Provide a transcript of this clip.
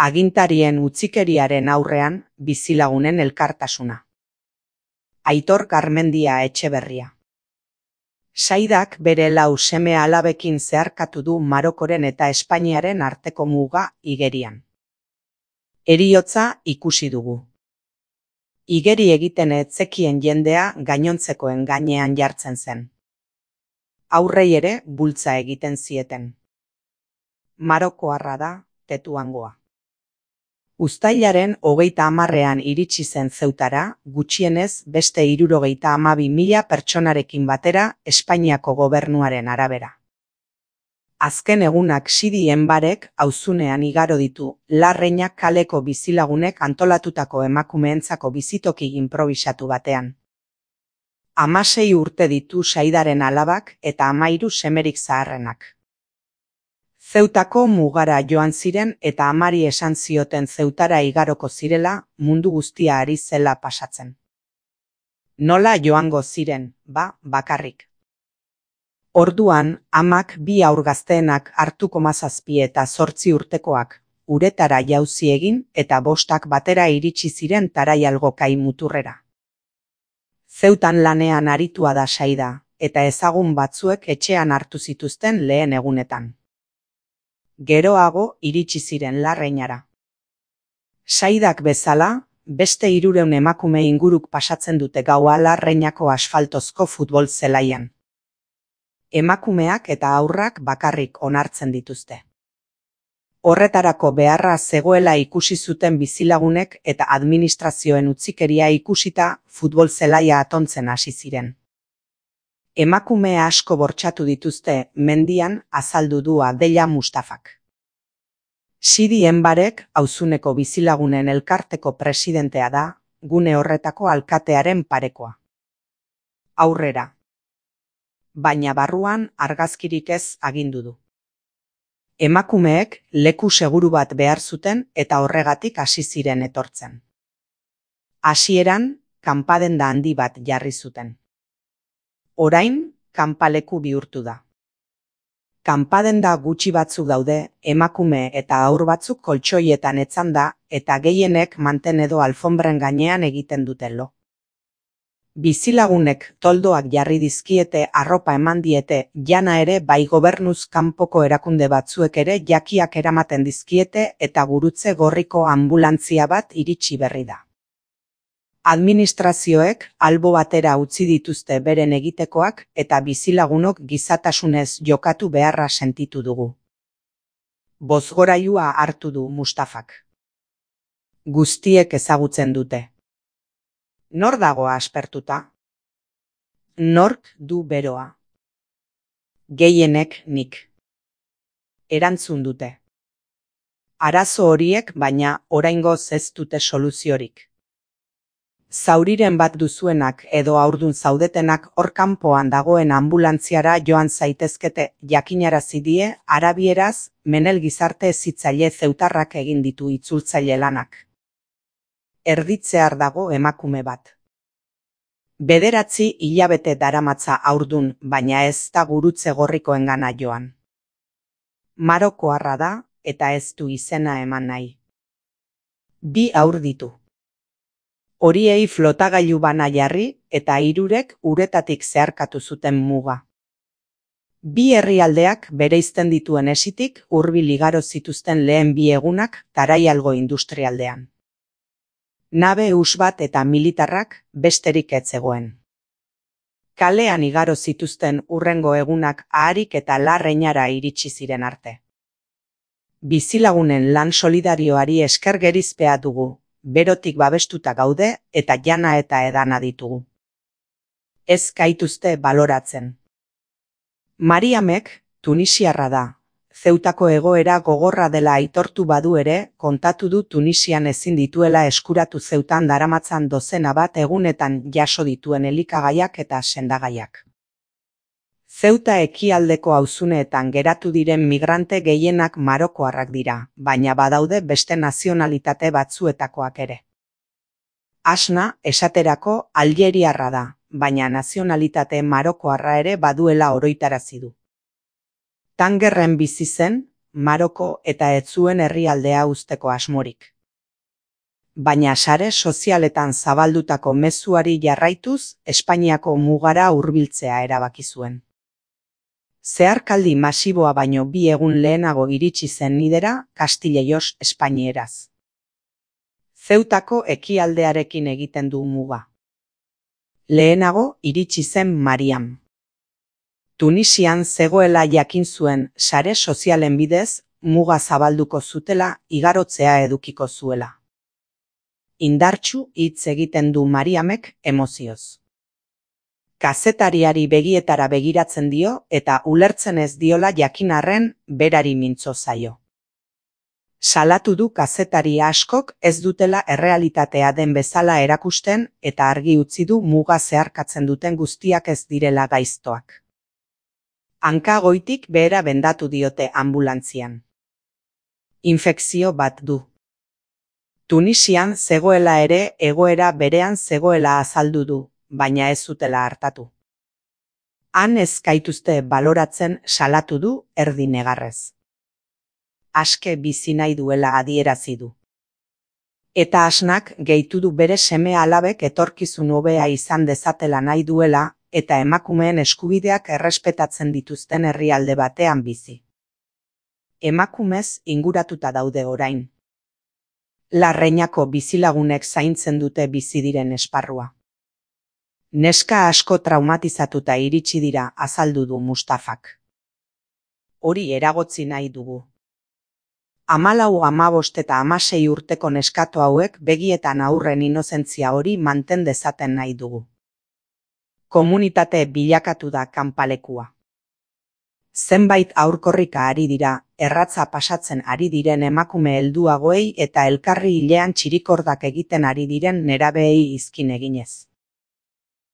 Agintarien utzikeriaren aurrean bizilagunen elkartasuna. Aitor Garmendia Etxeberria. Saidak bere 4 seme-alabekin zeharkatu du Marokoren eta Espainiaren arteko muga igerian. Heriotza ikusi dugu. Igeri egiten ez zekien jendea gainontzekoen gainean jartzen zen. Aurrei ere bultza egiten zieten. Marokoarra da Tetuangoa. Uztailaren 30ean iritsi zen Zeutara, gutxienez beste 72.000 pertsonarekin batera Espainiako gobernuaren arabera. Azken egunak Sidi Enbarek auzunean igaro ditu Larreinak kaleko bizilagunek antolatutako emakumeentzako bizitoki inprobisatu batean. 16 urte ditu Saidaren alabak eta 13 semerik zaharrenak. Zeutako mugara joan ziren eta amari esan zioten Zeutara igaroko zirela mundu guztia ari zela pasatzen. Nola joango ziren, bakarrik. Orduan, amak 2 haur gazteenak hartuko 17 eta 8 urtekoak, uretara jauzi egin eta 5 batera iritsi ziren Taraialgo kai muturrera. Zeutan lanean aritua da Saida, eta ezagun batzuek etxean hartu zituzten lehen egunetan. Geroago iritsi ziren Larreinara. Saidak bezala, beste 300 emakume inguruk pasatzen dute gaua Larreinako asfaltozko futbol zelaian. Emakumeak eta haurrak bakarrik onartzen dituzte. Horretarako beharra zegoela ikusi zuten bizilagunek eta administrazioen utzikeria ikusita futbol zelaia atontzen hasi ziren. Emakume asko bortxatu dituzte mendian, azaldu du Abdella Mustafak. Sidi Enbarek auzuneko bizilagunen elkarteko presidentea da, gune horretako alkatearen parekoa. Aurrera. Baina barruan argazkirik ez agindu du. Emakumeek leku seguru bat behar zuten eta horregatik hasi ziren etortzen. Hasieran, kanpadenda handi bat jarri zuten. Orain, kanpaleku bihurtu da. Kanpadenda gutxi batzuk daude, emakume eta haur batzuk koltxoietan etzanda eta gehienek manten edo alfombren gainean egiten duten lo. Bizilagunek toldoak jarri dizkiete, arropa eman diete, jana ere bai gobernuz kanpoko erakunde batzuek ere jakiak eramaten dizkiete eta gurutze gorriko anbulantzia bat iritsi berri da. Administrazioek albo batera utzi dituzte beren egitekoak eta bizilagunok gizatasunez jokatu beharra sentitu dugu. Bozgorailua hartu du Mustafak. Guztiek ezagutzen dute. Nor dago aspertuta? Nork du beroa? Gehienek nik. Erantzun dute. Arazo horiek baina oraingoz ez dute soluziorik. Zauriren bat duzuenak edo haurdun zaudetenak hor kanpoan dagoen anbulantziara joan zaitezkete, jakinarazi die arabieraz Menel gizarte hezitzaile zeutarrak egin ditu itzultzaile lanak. Erditzear dago emakume bat. 9 hilabete daramatza haurdun, baina ez da gurutze gorrikoengana joan. Marokoarra da eta ez du izena eman nahi. 2 haur ditu. Horiei flotagailu bana jarri eta 3 uretatik zeharkatu zuten muga. 2 herrialdeak bereizten dituen esitik hurbil igaro zituzten lehen 2 egunak Taraialgo industrialdean. Nabe hus bat eta militarrak besterik ez zegoen. Kalean igaro zituzten hurrengo egunak Aharik eta Larreinara iritsi ziren arte. Bizilagunen lan solidarioari esker gerizpea dugu. Berotik babestuta gaude eta jana eta edana ditugu. Ez gaituzte baloratzen. Mariamek tunisiarra da. Zeutako egoera gogorra dela aitortu badu ere, kontatu du Tunisian ezin dituela eskuratu Zeutan daramatzan dozena bat egunetan jaso dituen elikagaiak eta sendagaiak. Zeuta ekialdeko auzuneetan geratu diren migrante gehienak marokoarrak dira, baina badaude beste nazionalitate batzuetakoak ere. Asna, esaterako, aljeriarra da, baina nazionalitate marokoarra ere baduela oroitarazi du. Tangerren bizi zen, Maroko eta ez zuen herrialdea uzteko asmorik. Baina sare sozialetan zabaldutako mezuari jarraituz, Espainiako mugara hurbiltzea erabaki zuen. Zeharkaldi masiboa baino 2 egun lehenago iritsi zen nidera Castillejos espainieraz. Zeutako ekialdearekin egiten du muga. Lehenago iritsi zen Mariam. Tunisian zegoela jakin zuen sare sozialen bidez muga zabalduko zutela igarotzea edukiko zuela. Indartsu hitz egiten du Mariamek emozioz. Kazetariari begietara begiratzen dio eta ulertzen ez diola jakin arren berari mintzo zaio. Salatu du kazetari askok ez dutela errealitatea den bezala erakusten eta argi utzi du muga zeharkatzen duten guztiak ez direla gaiztoak. Hanka goitik behera bendatu diote anbulantzian. Infekzio bat du. Tunisian zegoela ere egoera berean zegoela azaldu du, baina ez zutela hartatu. Han ez gaituzte baloratzen salatu du erdi negarrez. Aske bizi nahi duela adierazi du. Eta asnak gehitu du bere seme alabek etorkizun hobea izan dezatela nahi duela eta emakumeen eskubideak errespetatzen dituzten herrialde batean bizi. Emakumez inguratuta daude orain. Larreinako bizilagunek zaintzen dute bizi diren esparrua. Neska asko traumatizatuta iritsi dira azaldu du Mustafak. Hori eragotzi nahi dugu. 14, 15 eta 16 urteko neskato hauek begietan aurren inozentzia hori manten dezaten nahi dugu. Komunitate bilakatu da kanpalekua. Zenbait aurkorrika ari dira, erratza pasatzen ari diren emakume helduagoei eta elkarri hilean txirikordak egiten ari diren nerabeei izkin eginez.